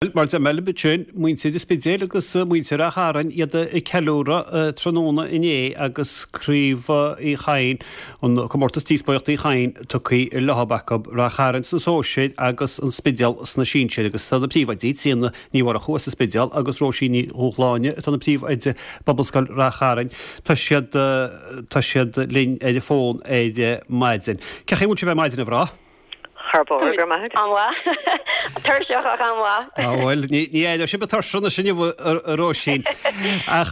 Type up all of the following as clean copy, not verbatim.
Mar a deir mé libh ansin, muintir an Spidéil agus muintir Ráth Chairn, iad ag ceiliúradh tráthnóna inné agus Craobh Uí Chadhain, an comórtas díospóireachta Uí Chadhain, tugtha leo acu, Ráth Chairn sna sóisir agus an Spidéal sna sinsir. Agus tá na príomhoidí, Tríona Ní Mhurchú as an Spidéal agus Róisín Ní Dhúshláine atá ina príomhoide i bPobalscoil Ráth Chairn, tá siad tá siad linn ar an bhfón ar maidin. Cén chaoi a bhfuil sibh ar maidin, a mhná? Thar barr, go raibh maith agat. An-mhaith. Tuirseach ach an-mhaith. Á bhuel, ní éireoidh sibh tuirseach anois inniu, a Róisín. Ach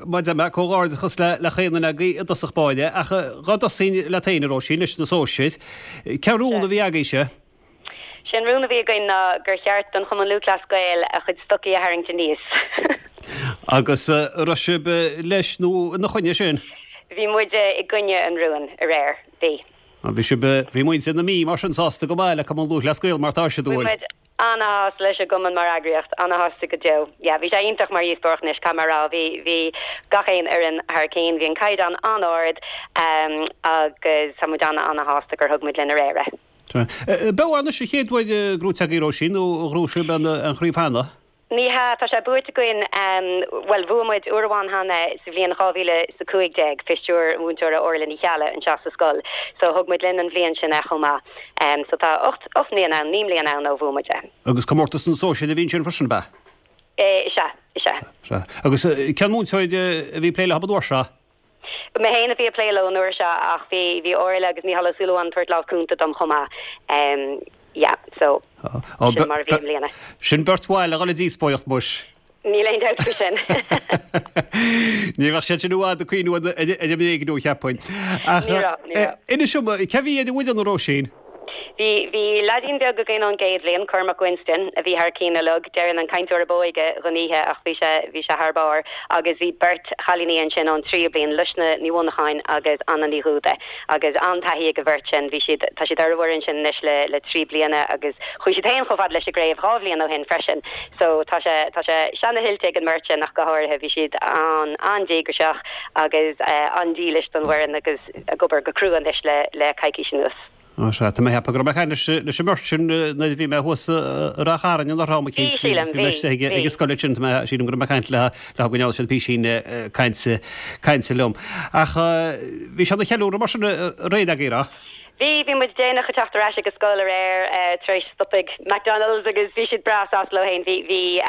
mar a deir mé, comhghairdeachas le chaon duine agaibh i dtosach báire. Ach dhá dtosóinn leat féin, a Róisín, leis na sóisir. Cén rún a bhí agaibhse? Sé an rún a bhí againn ná gur cheart don Chumann Lúthchleas Gael a chuid stocaí a tharraingt aníos. Agus an raibh sibh leis nó ina choinne sin? Bhí muide i gcoinne an rúin aréir. Bhí. Bhí sibh, bhí muintir na Mí mar sin sásta go maith le Cumann Lúthchleas Gael mar atá siad, Bhí an bhfuil? muid ana-shásta leis an gcumann mar eagraíocht, ana-shásta go deo. Yeah, bhí sé iontach mar dhíospóireacht anois, caithfidh mé a rá. Bhí, bhí gach aon fhoireann thar cionn, bhí an caighdeán an-ard agus tá muid ana-ana-shásta gur thug muid linn aréir é. Ab ea anois an chéad uair gnóite agaibh, Róisín, nó ar ghnóthaigh sibh an chraobh cheana? Ní hea, tá sé buaite againn, bhuel, bhuaigh muid uair amháin cheana sa bhliain 2015, fé stiúir an mhúinteora Orla Ní Cheallaigh anseo sa scoil. So thug muid linn an bhliain sin é chomh maith. So tá 8, 8 mbliana ann, 9 mbliana ann ó bhuaigh muid é. Agus comórtas na sóisear a bhí ansin freisin, ab ea? Is ea, is ea. Sea. Agus cén múinteoir a bhí ag plé leo an uair seo? Mé féin a bhí ag plé leo an uair seo ach bhí bhí Orla agus Mícheál Ó Súilleabháin ag tabhairt lámh cúnta dom chomh maith. Yeah, so sin mar a bhí i mbliana. Sin beirt mhaith le dhul ag díospóireacht, muis. Níl aon dabht faoi sin. Ní bheadh siad sin i bhfad ag cuimhniú ar an mbréagnú, cheapfainn. Ach Ní raibh, ní raibh. inis dom, cé a bhí ar an bhfoireann, a Róisín? Bhí, bhí leaidín beag againn ón gcéad bhliain, Cormac Winston, a bhí thar cionn uilig, déarfainn an cainteoir ab óige dhon oíche ach bhí sé, bhí sé thar barr agus bhí beirt chailíní ansin ón tríú bliain, Luisne Ní Mhonacháin agus Anna Ní Dhúda agus an-taithí ag an bheirt sin, bhí siad, tá siad ar an bhfoireann sin anois le, le 3 bliana agus chuaigh siad féin chomh fada leis an gcraobh dhá bhliain ó shin freisin so tá sé, tá sé seana-thuillte ag an mbeirt sin ach go háirithe, bhí siad an, an-díograiseach agus an-dílis don bhfoireann agus. ag obair go crua anois le le coicís anuas. Ó sea, tá mé ag ceapadh go raibh mé ag caint leis leis an mbeirt sin nuair a bhí mé thuas i Ráth Chairn anuraidh am eicínt. Bhí, sílim, Bhí mé bhí, istigh ag bhí. an scoil ansin, tá mé, sílim go raibh mé ag caint le leo go ndearna siad písín cainte cainte liom. Ach bhí sé ina cheiliúradh mar sin aréir agaibh, an raibh? Bhí, bhí muid déanach ag teacht ar ais ag an scoil aréir tar éis stop ag McDonald's agus bhí siad breá sásta leo féin. Bhí, bhí,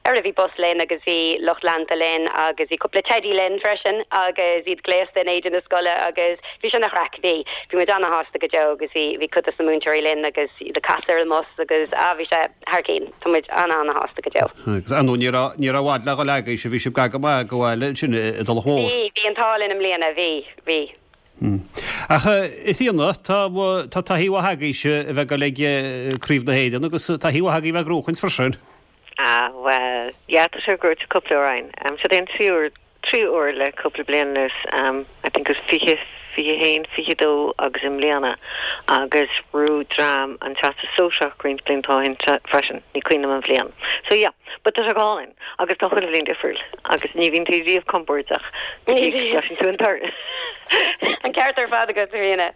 ara bhí bus linn agus bhí lucht leanta linn agus bhí cúpla teidí linn freisin agus iad gléasta in éide na scoile agus bhí sé ina chraic. Bhí, bhí muid ana-shásta go deo agus bhí, bhí cuid dos na múinteoirí linn agus iad ag casadh ar an mbus agus ah bhí sé thar cinn. Tá muid ana-ana-shásta go deo. Agus ar ndóigh ní raibh, ní raibh i bhfad le dhul agaibhse, bhí sibh gar go maith go bhaile ansin i dTulach Mhór. Bhí, bhí an t-ádh linn i mbliana, bhí, bhí. Ach a Thríona, tá tá taithí mhaith agaibhse a bheith ag dul ag Craobh na hÉireann agus taithí mhaith agaibh a bheith ag gnóchaint freisin. Ah, bhuel, yeah, tá sé gnóite cúpla uair againn. Seo é an tríú uair, tríú uair le cúpla bliain anuas, I think it was 20, 21, 22 agus i mbliana agus ghnóthaigh dream an Teastas Sóisearach roinnt blianta ó shin freisin, ní cuimhin liom an bhliain. So yeah, but tá sé go hálainn. Agus tá chuile bhliain difriúil agus ní bhíonn tú riamh compordach go dtí go gcloiseann tú an toradh. An ceart ar fad agat, a Thríona.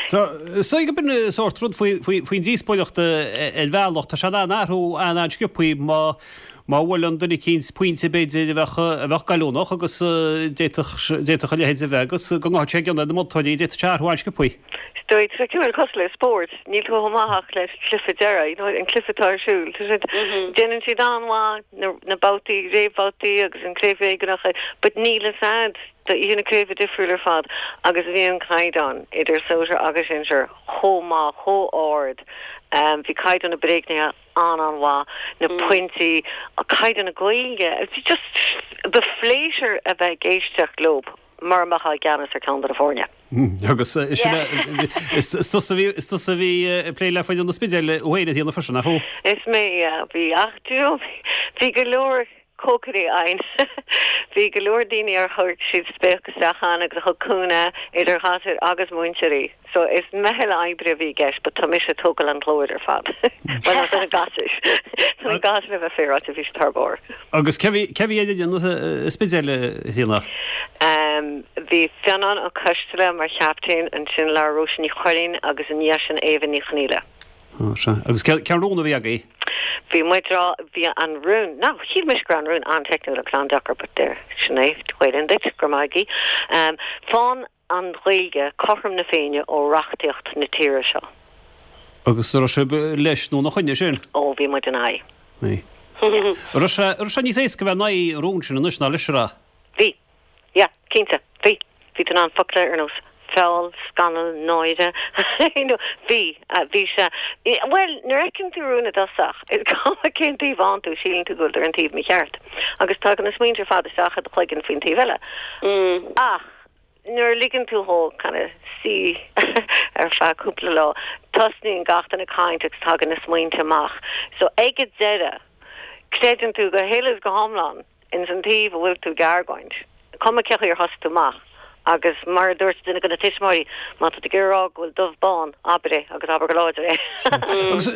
Is dóigh gurb in sórt rud faoin díospóireacht ar bhealach. Tá sé in ann athrú an-an-sciobthaí má má bhuaileann duine eicínt pointe b'fhéidir a bheadh a bheadh goilliúnach agus d'fhéadfadh d'fhéadfadh a leithéid a bheith agus go ngabhfadh sé i gcion ar na moltóirí, d'fhéadfadh sé athrú an-sciobthaí. Is dóigh, tá sé cineál cosúil le spórt, níl tú chomh maith ach leis an cluiche deiridh, you know, an cluiche atá ar siúl. Tá siad, déanann siad an-mhaith na, na babhtaí, réamhbhabhtaí agus an craobh réigiúnach, but níl fhios a'd, tá oíche na craoibhe difriúil ar fad agus bhí an caighdeán idir sóisear agus sinsear chomh maith, chomh ard. Bhí caighdeán na bréagnuithe an-an-mhaith, na pointí, caighdeán na Gaeilge, bhí just, ba phléisiúr a bheith ag éisteacht leo mura mbeifeá i gceannas ar ceann de na foirne. Agus sin é, is tusa a bhí, is tusa a bhí ag plé le foireann an Spidéil thú féin a Thríona freisin, nach ea? Is mé, yeah, bhí, ach do you know, bhí go leor cócairí againn. Bhí go leor daoine ar chuir siad spéach isteach ann agus a thug cúnamh, idir ghasúir agus múinteoirí. So is meitheal oibre a bhí i gceist but tá mise ag tógáil an ghlóir ar fad. Bhuel, do na gasúir. Do na gasúir le bheith féaráilte, bhí siad thar barr. Agus cé bhí, cé bhí ar fhoireann an Spidéil, a Thríona? Bhí Fionnán Ó Coisteala mar chaptaen, ansin labhair Róise Ní Chuirrín agus i ndiaidh sin Éabha Ní Chonaola. Ó, sea. Agus cén, cén rún a bhí agaibh? Bhí muid rá, bhí an rún, now shíl mise go raibh an rún an-teicniúil agus an-deacair but there, sin é, Gaelainn duit, go raibh maith agaibh. Faigheann an Ghaeilge cothrom na Féinne ó reachtaíocht na tíre seo. Agus an raibh sibh leis nó ina choinne sin? Ó, bhí muid ina aghaidh. Bhí. An raibh sé, an raibh sé níos éasca bheith in aghaidh an rúin sin anois ná leis, an raibh? Bhí. Yeah, cinnte. Bhí. Bhí tú in ann focla ar nós feall, scannal, náire, you know, bhí, bhí sé, bhuel, nuair a fheiceann tú rún i dtosach, is cuma cén taobh a fhánn tú, síleann tú go bhfuil tú ar an taobh mícheart. Agus tagann na smaointe ar fad isteach i do chloigeann faoin taobh eile. Ach nuair a ligeann tú dhó kind of suí ar feadh cúpla lá, tosnaíonn gach duine ag caint agus tagann na smaointe amach. So ag an deireadh, creideann tú go huile is go hiomlán ins an taobh a bhfuil tú ag argóint, cuma cé chaoi ar thosaigh tú amach. Agus mar a dúirt duine de na tuismitheoirí, má tá tú ag iarraidh a rá go bhfuil dubh bán, abair é agus abair go láidir é. Agus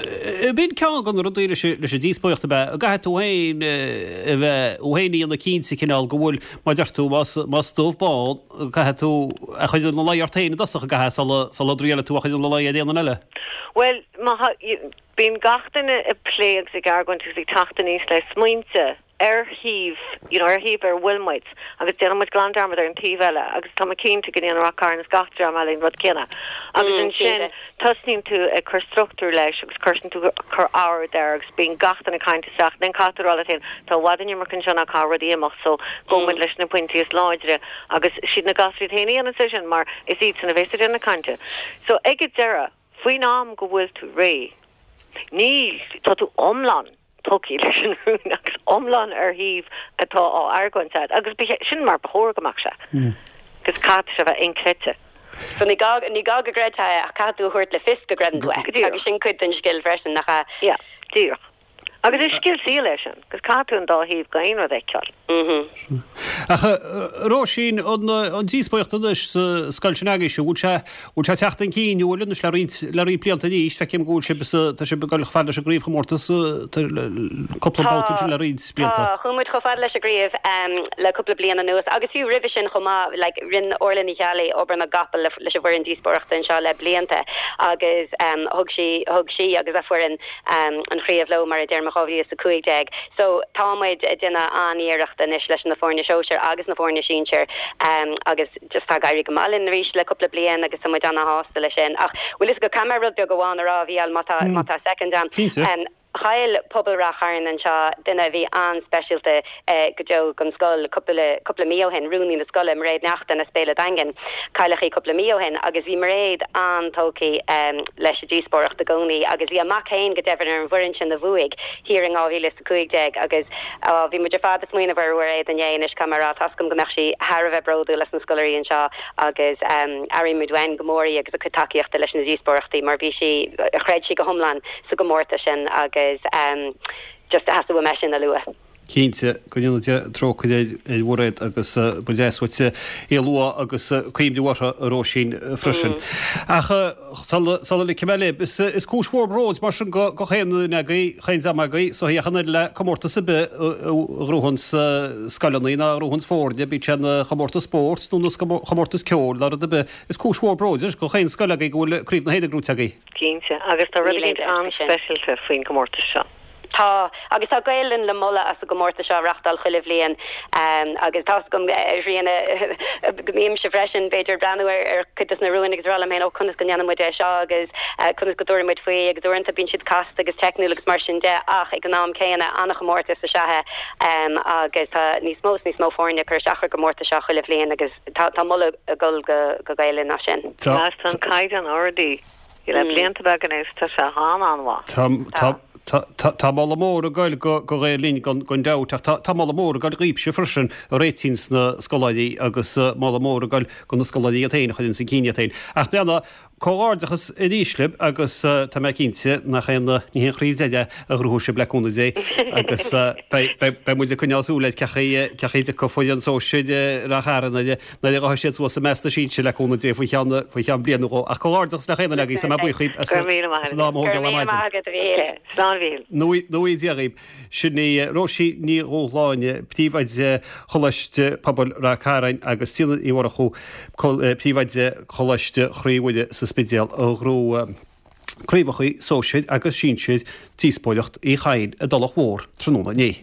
b'in ceann de na rudaí leis an díospóireacht ab ea, go gcaithfidh tú féin a bheith, thú féin a dhéanamh cinnte cineál go bhfuil, mar a deir tú, más dubh bán, caithfidh tú a chur ina luí ort féin i dtosach, an gcaithfidh, sula, sula dtriailfidh tú a chur ina luí ar aon duine eile. Bhuel, má thá, bíonn gach duine ag plé agus ag argóint agus ag teacht aníos le smaointe. ar thaobh, you know, ar thaobh ar a bhfuil muid agus déanann muid glan dearmad ar an taobh eile agus tá mé cinnte go ndéanann Rath Cairn is gach dream eile an rud céanna. Agus ansin tosnaíonn tú ag cur struchtúr leis agus cuireann tú cur ord air agus bíonn gach duine ag caint isteach. Then caithfidh tú a rá leat féin, tá i bhfad an iomarca anseo ná caithfidh rudaí imeacht so gabhfaidh muid leis na pointí is láidre agus siad na gasúir iad féin a dhéanann é sin mar is iadsan a bhéas ag déanamh na cainte. So ag an deireadh, faoin am go bhfuil tú réidh, níl, tá tú iomlán tógtha leis an rún agus iomlán ar thaobh atá á argóint agat agus sin mar ba chóir go mbeadh sé agus caithfidh sé a bheith inchreidte. So ní gá, ní gá go gcreidfeá é ach caithfidh tú a thabhairt le fios go gcreideann tú é. Go díreach. Agus sin cuid den scil freisin, nach ea? Yeah, díreach. Agus is scil saoil é sin, agus caithfidh tú an dá thaobh d'aon rud a fheiceáil. Ach a Róisín, an díospóireacht anois sa scoil sin agaibhse, bhfuil sé, bhfuil sé ag teacht chun cinn, nó bhfuil anois le roinnt, le roinnt blianta arís, feicim go bhfuil sibh sa, tá sibh ag dul chomh fada leis an gcraobhchomórtas cúpla babhta ansin le roinnt blianta. Tá, chuaigh muid chomh fada leis an gcraobh le cúpla bliain anuas agus fiú roimhe sin chomh maith, like rinne Orla Ní Cheallaigh obair na gcapall leis an bhfoireann díospóireachta anseo le blianta agus thug sí, thug sí agus a foireann an chraobh leo, mar a deirim, in 2015. So, tá muid ag déanamh an-iarracht anois leis na foirne sóisir agus na foirne sinsir agus just tá ag éirí go maith linn arís le cúpla bliain agus tá muid ana-shásta leis sin. Ach bhfuil fhios agat, caithfidh mé rud beag amháin a rá, a Mhícheáil, má tá, má tá soicind agam. Cinnte. Chaill pobal Rath Chairn anseo duine a bhí an-speisialta go deo don scoil cúpla, cúpla mí ó shin, rúnaí na scoile, Mairéad Neachtain as Béal an Daingin. Cailleadh í cúpla mí ó shin agus bhí Mairéad an-tógtha leis an díospóireacht i gcónaí agus bhí a mac féin go deimhin ar an bhfoireann sin a bhuaigh thiar in 2015 agus bhí muid ar fad ag smaoineamh ar Mhairéad inné anois caithfidh mé a rá, tá's agam go mbeadh sí thar a bheith bródúil as na scoláirí anseo agus airímid uainn go mór í agus a cuid tacaíochta leis na díospóireachtaí mar bhí sí, chreid sí go hiomlán sa gcomórtas sin agus just theastaigh uaim é sin a lua. Cinnte, go ndéana Dia trócaire ar Mhairéad agus ba deas uait í a lua agus cuimhniú uirthi, a Róisín, freisin. Ach sula ligfidh mé libh, is cúis mhór bróid mar sin do chaon duine agaibh, chaon dream agaibh, so ach an oiread le comórtas ar bith a ghnóthaíonns scoileanna ná a ghnóthaíonns foirne, bíodh sé ina chomórtas spóirt nó ina chomórtas ceoil ná rud ar bith, is cúis mhór bróid do chaon scoil agaibh go bhfuil Craobh na hÉireann gnóite agaibh. Cinnte, agus tá rud éigin an-speisialta faoin gcomórtas seo. Tá, agus tá Gael Linn le moladh as an gcomórtas seo a reachtáil chuile bhliain agus tá's agam, a Thríona, go mbímse freisin, b'fhéidir, ag breathnú ar chuid de na rúin agus ag rá liom féin, ó, conas go ndéanann muid é seo agus conas go dtabharfaidh muid faoi agus uaireanta bíonn siad casta agus teicniúil agus mar sin de ach ag an am céanna, an-chomórtas is ea é agus tá níos mó is níos mó foirne ag cur isteach ar an gcomórtas seo chuile bhliain agus tá moladh ag dul go Gael Linn as sin. Tá an caighdeán ardaithe. Le blianta beaga anuas tá sé an-an-mhaith. Tá, tá moladh mór ag goil go Gael Linn gan dabht ach tá moladh mór ag goil dhaoibhse freisin a réitíonns na scoláirí agus moladh mór ag goil go na scoláirí iad féin a chuireanns chun cinn iad féin. Ach breathnaigh, comhghairdeachas arís libh agus tá mé cinnte nach aon, ní haon chraobh deiridh é a ghnóthóidh sibh le cúnamh Dé agus beidh muid ag coinneáil súil ar cé chaoi a dtiocfaidh foireann sóisir Rath Chairn nuair a ghabhfaidh siad suas i measc na sinsear le cúnamh Dé faoi cheann faoi cheann bliain nó dhó. Ach comhghairdeachas le chaon duine agaibh, tá mé buíoch dhaoibh as an am a thógáil ar maidin. Agat a Mhíchíl. Slán a Mhíchíl. Nuaí Dia dhaoibh. Sin í Róisín Ní Dhúshláine, Príomhoide Choláiste Pobail Rath Cairn agus Tríona Ní Mhurchú, Príomhoide Choláiste Chroí Mhuire sa Spidéal a ghnóthaigh. Craobhacha Sóisir agus Sinsir Díospóireacht Uí Chadhain i dTulach Mhór tráthnóna inné.